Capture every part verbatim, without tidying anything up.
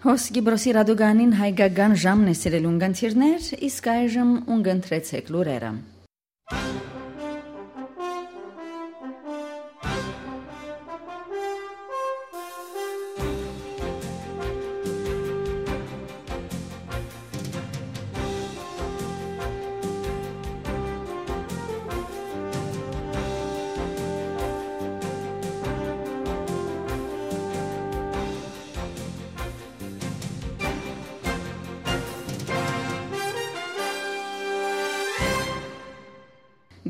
Հոս Կիպրոսի ռադիոգանին հայկական ժամն է, սիրելի ունգընտիրներ, իսկ այժմ ունգընտրեցեք լուրերը։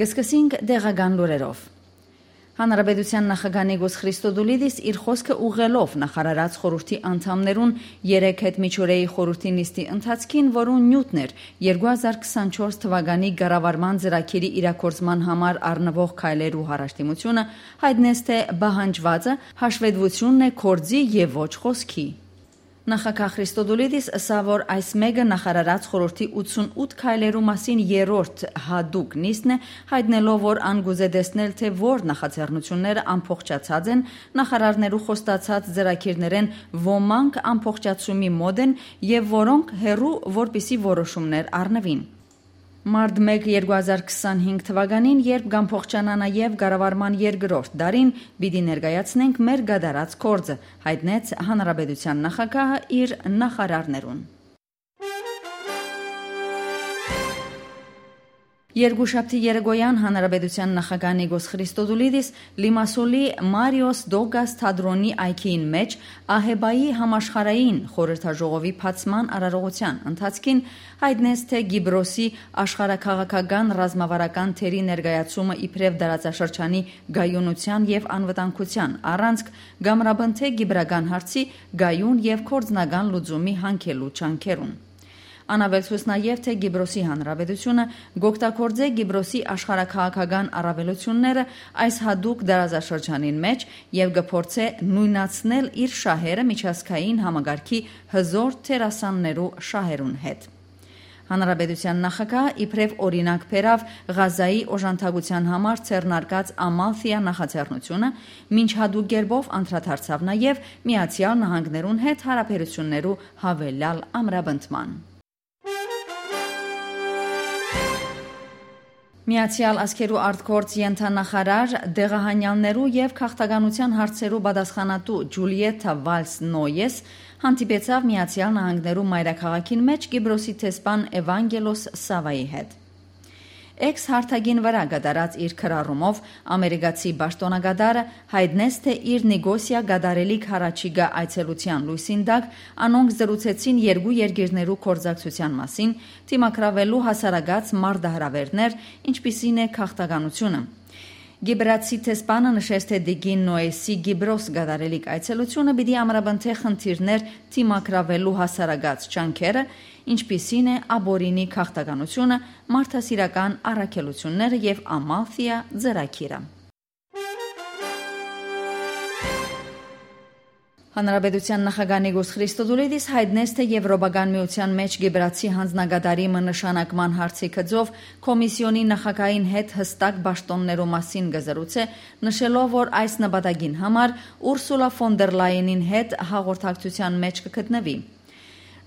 Կը սկսենք տեղական լուրերով։ Հանրապետության նախագահ Նիկոս Խրիստոդուլիդիս իր խօսքը ուղղելով նախարարաց խորհրդի անդամներուն երեկ հետ միջօրեի խորհրդի նիստի ընթացքին, որուն նիւթն էր երկու հազար քսանչորս թվականի կառավարման ծրագիրի իրագործման համար առնուող քայլերու հարաշտիմությունը, յայտնեց, թէ պահանջուածը հաշվետվությունն է գործի եւ ոչ խօսքի։ Նախագահ Խրիստոդուլիդիս ըսաւ, որ այս մէկը նախարարաց խորհրդի ութսունութ քայլերու մասին երրորդ յատուկ նիստն է, յայտնելով, որ ան կուզէ տեսնել, թէ որ նախաձեռնութիւնները ամբողջացած են, նախարարներու խոստացած ծրագիրներէն ոմանք ամբողջացումի մօտ են եւ որոնք հեռու, որպիսի որոշումներ առնուին։ Մարտ մէկ երկու հազար քսանհինգ թվականին, երբ կ'ամբողջանայ նաեւ կառավարման երկրորդ տարին, պիտի ներկայացնենք մեր կատարած գործը, յայտնեց հանրապետության նախագահը իր նախարարներուն։ Երկուշաբթի երեկոյեան հանրապետության նախագահ Նիկոս Խրիստոդուլիդիս Լիմասոլի Մարիոս Դոգաս թատրոնի այգիին մէջ Ահեբայի համաշխարհային խորհրդաժողովի բացման արարողութեան ընթացքին յայտնեց, թէ Կիպրոսի աշխարհաքաղաքական ռազմավարական դերի ներկայացումը իբրեւ տարածաշրջանի կայունութեան եւ անվտանգութեան առանցք կ'ամրապնդէ կիպրական հարցի կայուն եւ գործնական լուծումի յանգելու ջանքերուն։ Ան աւելցուց նաեւ, թէ Կիպրոսի Հանրապետությունը կ'օգտագործէ Կիպրոսի աշխարհաքաղաքական առաւելութիւնները այս յատուկ տարածաշրջանին մէջ եւ կը փորձէ նոյնացնել իր շահերը միջազգային համակարգի հզօր դերասաններու շահերուն հետ։ Հանրապետության նախագահը իբրեւ օրինակ բերաւ Ղազայի օժանդակութեան համար ձեռնարկած Ամալֆիա նախաձեռնութիւնը, մինչ յատուկ կերպով անդրադարձաւ նաեւ Միացեալ Նահանգներուն հետ հարաբերութիւններու յաւելեալ ամրապնդման։ Միացեալ Ազգերու արտգործ ենթանախարար, տեղահանեալներու եւ քաղաքականութեան հարցերու պատասխանատու Ջուլիեթա Վալս Նոյես հանդիպեցաւ Միացեալ Նահանգներու մայրաքաղաքին մէջ Կիպրոսի դեսպան Էվանգելոս Սավայի հետ։ Էքս հարթակին վրայ կատարած իր գրառումով Ամերիկացի պաշտօնակատարը յայտնեց, թէ իր Նիկոսիա կատարելիք յառաջիկայ այցելութեան լոյսին տակ անոնք զրուցեցին երկու երկիրներու գործակցութեան մասին, դիմագրաւելու հասարակաց մարտահրաւէրներ, ինչպիսին է քաղաքականությունը։ Կիպրացի դեսպանը նշեց, թէ տիկին Նոյեսի Կիպրոս կատարելիք այցելութիւնը պիտի ամրապնդէ խնդիրներ դիմագրաւելու հասարակաց ջանքերը, ինչպիսին է ապօրինի քաղաքականությունը, մարդասիրական առաքելութիւնները եւ Ամալֆիա ծրագիրը։ Հանրապետության նախագահ Նիկոս Խրիստոդուլիդիս յայտնեց, թէ Եվրոպական միութեան մէջ Կիպրացի յանձնակատարի մը նշանակման հարցի գծով կոմիսիոնի նախագահին հետ յստակ պաշտօններու մասին կը զրուցէ, նշելով, որ այս նպատակին համար Ուրսուլա ֆոն դեր Լայենին հետ հաղորդակցութեան մէջ կը գտնուի։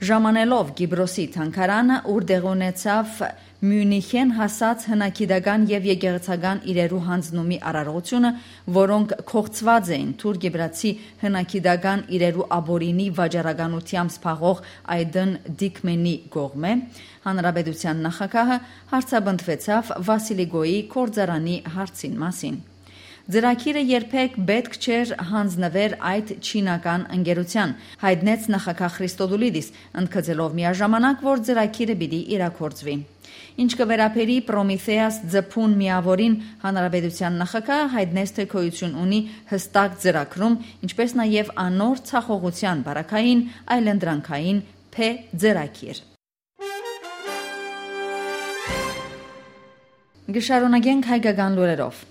Ժամանելով Կիպրոսի թանգարանը, ուր տեղի ունեցաւ Միունիխէն հասած հնագիտական եւ եկեղեցական իրերու յանձնումի արարողութիւնը, որոնք կոչուած էին թուրք-կիպրացի հնագիտական իրերու ապօրինի վաճառականութեամբ զբաղող Այդն Դիքմենի կողմէ, հանրապետության նախագահը հարցապնդուեցաւ Վասիլիկոյի գործարանի հարցին մասին։ Ծրագիրը երբեք պէտք չէր յանձնուեր այդ չինական ընկերութեան, յայտնեց նախագահ Խրիստոդուլիդիս, ընդգծելով միաժամանակ, որ ծրագիրը պիտի իրագործուի։ Ինչ կը վերաբերի Պրոմիթեաս ձփուն միաւորին, հանրապետության նախագահը յայտնեց, թէ գոյութիւն ունի յստակ ծրագրում, ինչպէս նաեւ անոր ձախողութեան պարագային այլընտրանքային փէ ծրագիր։ Կը շարունակենք հայկական լուրերով։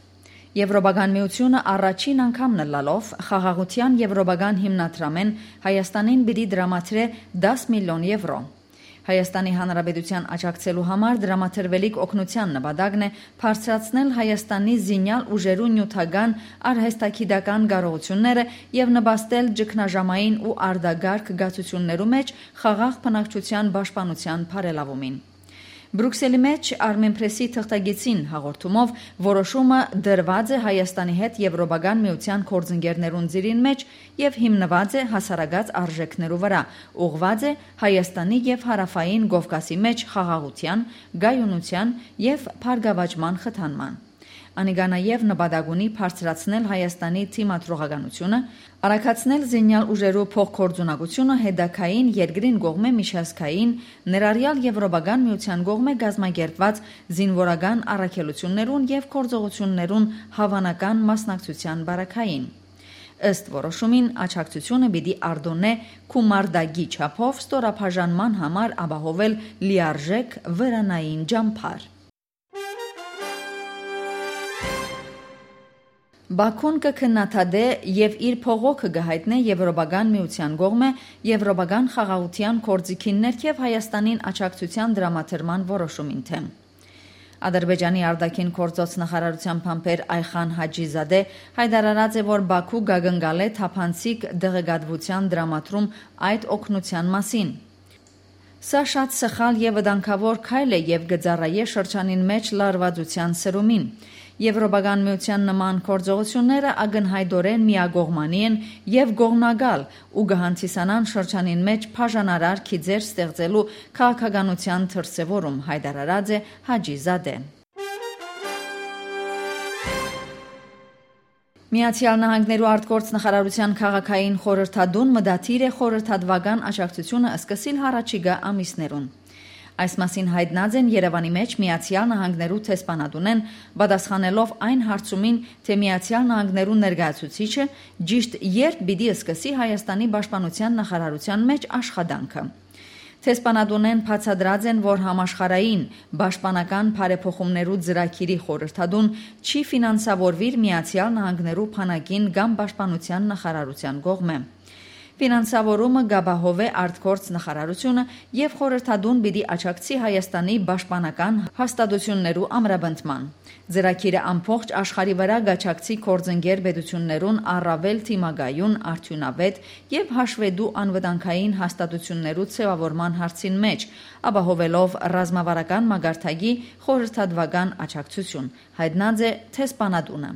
Եվրոպական միությունը առաջին անգամն ըլլալով խաղաղութեան եվրոպական հիմնադրամէն Հայաստանին պիտի տրամադրէ դաս միլիոն եվրո։ Հայաստանի Հանրապետութեան աջակցելու համար դրամատրուելիք օգնութեան նպատակն է բարձրացնել Հայաստանի զինեալ ուժերու նիւթական, արհեստագիտական կարողութիւնները եւ նպաստել ճգնաժամային ու արտակարգ գացութիւններու մէջ խաղաղ բնակչութեան պաշտպանութեան բարելաւումին։ Բրուքսելի մէջ Արմենփրեսի թղթակիցին հաղորդումով, որոշումը դրուած է Հայաստանի հետ Եվրոպական Միութեան գործընկերներուն ծիրին մէջ եւ հիմնուած է հասարակաց արժէքներու վրայ, ուղղուած է Հայաստանի եւ Հարաւային Կովկասի մէջ խաղաղութեան, կայունութեան եւ բարգաւաճման խթանման։ Անիկա նաեւ նպատակ ունի բարձրացնել Հայաստանի դիմադրողականութիւնը, արագացնել զինեալ ուժերու փոխգործունակութիւնը հետագային երկրին կողմէ միջազգային, ներառեալ Եվրոպական Միութեան կողմէ կազմակերպուած զինուորական առաքելութիւններուն եւ գործողութիւններուն հաւանական մասնակցութեան պարագային։ Ըստ որոշումին, աջակցութիւնը պիտի արտոնէ գումարտակի չափով ստորաբաժանման համար ապահովել լիարժէք վրանային ճամբար։ Բաքուն կը քննադատէ եւ իր փողոքը կը յայտնէ Եվրոպական Միութեան կողմէ Եվրոպական խաղաղութեան գործիքին ներքեւ Հայաստանին աջակցութեան դրամատրման որոշումին դէմ։ Ադրբեջանի արտաքին գործոց նախարարութեան բանբեր Այխան Հաճիզադե յայտարարած է, որ Բաքու կակնկալէ թափանցիկ տեղեկատուութեան դրամատրում այդ օգնութեան մասին։ Սա շատ սխալ եւ վտանգաւոր քայլ է եւ կը ծառայէ շրջանին մէջ լարուածութեան սրումին։ Եվրոպական Միութեան նման գործողութիւնները ակնյայտօրէն միակողմանի են եւ կողմնակալ ու կը հանդիսանան շրջանին մէջ բաժանարար գիծեր ստեղծելու քաղաքականութեան դրսեւորում, յայտարարած է Հաճիզադեն։ Միացեալ Նահանգներու արտգործ նախարարութեան քաղաքային խորհրդատուն մտադիր է խորհրդատուական աջակցութիւնը սկսիլ յառաջիկայ ամիսներուն։ Այս մասին յայտնած են Երեւանի մէջ Միացեալ Նահանգներու դեսպանատունէն, պատասխանելով այն հարցումին, թէ Միացեալ Նահանգներու ներկայացուցիչը ճիշդ երբ պիտի սկսի Հայաստանի պաշտպանութեան նախարարութեան մէջ աշխատանքը։ Դեսպանատունէն բացատրած են, որ համաշխարհային պաշտպանական բարեփոխումներու ծրագիրի խորհրդատուն չի ֆինանսավորուիր Միացեալ Նահանգներու բանակին կամ պաշտպանութեան նախարարութեան կողմէ։ Ֆինանսավորումը կ'ապահովէ արտգործ նախարարութիւնը եւ խորհրդատուն պիտի աջակցի Հայաստանի պաշտպանական հաստատութիւններու ամրապնդման։ Ծրագիրը ամբողջ աշխարհի վրայ կ'աջակցի գործընկեր պետութիւններուն առաւել դիմակայուն, արդիւնաւէտ եւ հաշուետու անվտանգային հաստատութիւններու ձեւաւորման հարցին մէջ, ապահովելով ռազմավարական մակարդակի խորհրդատուական աջակցութիւն, յայտնած է դեսպանատունը։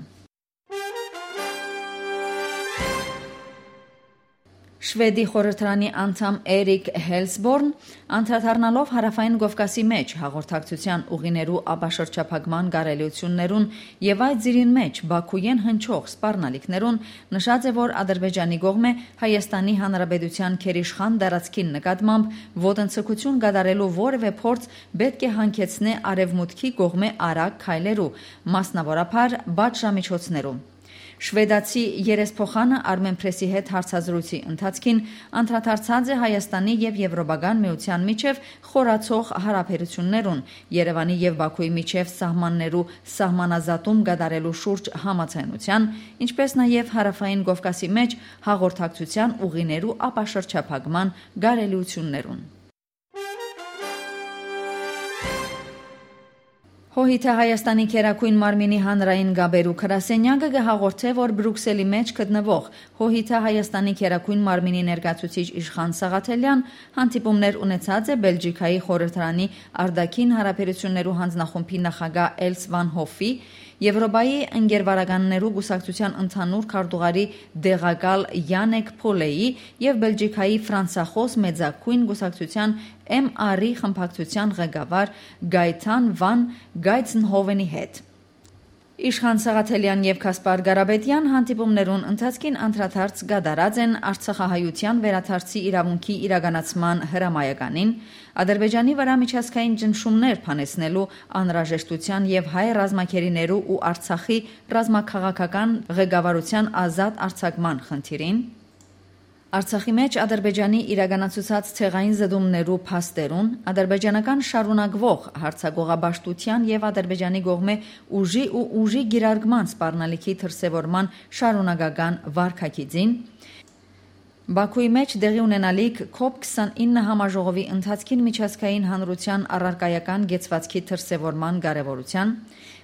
Շուեդի խորհրդարանի անդամ Էրիկ Հելսբորն անդրադառնալով Հարաւային Կովկասի մէջ հաղորդակցութեան ուղիներու ապաշրջափակման կարելիութիւններուն եւ այդ ծիրին մէջ Բաքուէն հնչող սպառնալիքներուն, նշած է, որ Ադրբեջանի կողմէ Հայաստանի Հանրապետութեան գերիշխան տարածքին նկատմամբ ոտնձգութիւն կատարելու որեւէ փորձ պէտք է հանգեցնէ Արեւմուտքի կողմէ արագ քայլերու, մասնաւորաբար պատժամիջոցներու։ Շուեդացի երեսփոխանը Արմենփրեսի հետ հարցազրույցի ընթացքին անդրադարձած է Հայաստանի եւ Եվրոպական Միութեան միջեւ խորացող յարաբերութիւններուն, Երեւանի եւ Բաքուի միջեւ սահմաններու սահմանազատում կատարելու շուրջ համաձայնութեան, ինչպէս նաեւ Հարաւային Կովկասի մէջ հաղորդակցութեան ուղիներու ապաշրջափակման կարելիութիւններուն։ Հܘհիդը Հայաստանի Գերագույն մարմինի հանրային կապերու գրասենյակը կը հաղորդէ, որ Բրուքսելի մէջ գտնուող ՀܘՀիդը Հայաստանի Գերագույն մարմինի ներկայացուցիչ Իշխան Սաղաթելեան հանդիպումներ ունեցած է Բելգիքայի խորհրդարանի արտաքին յարաբերութիւններու յանձնախումբի նախագահ Էլս Վան Հոֆի, Եվրոպայի ընկերվարականներու կուսակցութեան ընդհանուր քարտուղարի տեղակալ Յանեկ Փոլեի եւ Բելգիքայի ֆրանսախոս մեծագույն կուսակցութեան Էմ Արի խմբակցութեան ղեկավար Գայթան Վան Գայցնհովենի հետ։ Իշխան Սաղաթելեան եւ Գասպար Կարապետեան հանդիպումներուն ընթացքին անդրադարձ կատարած են արցախահայութեան վերադարձի իրաւունքի իրականացման հրամայականին, Ադրբեջանի վրայ միջազգային ճնշումներ բանեցնելու անհրաժեշտութեան եւ հայ ռազմագերիներու ու Արցախի ռազմաքաղաքական ղեկավարութեան ազատ արձակման խնդիրին, Արցախի մէջ Ադրբեջանի իրականացուցած ցեղային զտումներու փաստերուն, ադրբեջանական շարունակուող յարձակողապաշտութեան եւ Ադրբեջանի կողմէ ուժի ու ուժի կիրարկման սպառնալիքի դրսեւորման շարունակական վարքագիծին, Բաքուի մէջ տեղի ունենալիք կոպ քսանինը համաժողովի ընթացքին միջազգային հանրութեան առարկայական կեցուածքի դրսեւորման կարեւորութեան,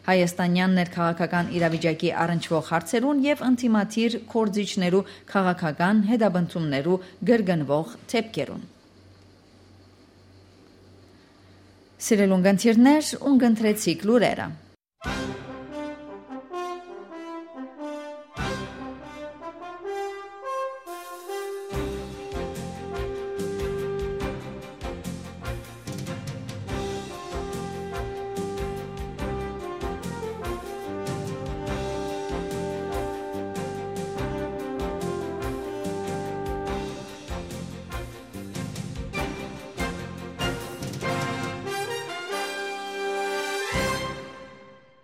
հայաստանեան ներքաղաքական իրավիճակի առնչուող հարցերուն եւ ընդդիմադիր գործիչներու քաղաքական հետապնդումներու կրկնուող դէպքերուն։ Սիրելի ունգընտիրներ, ունգընտրեցիք լուրերը։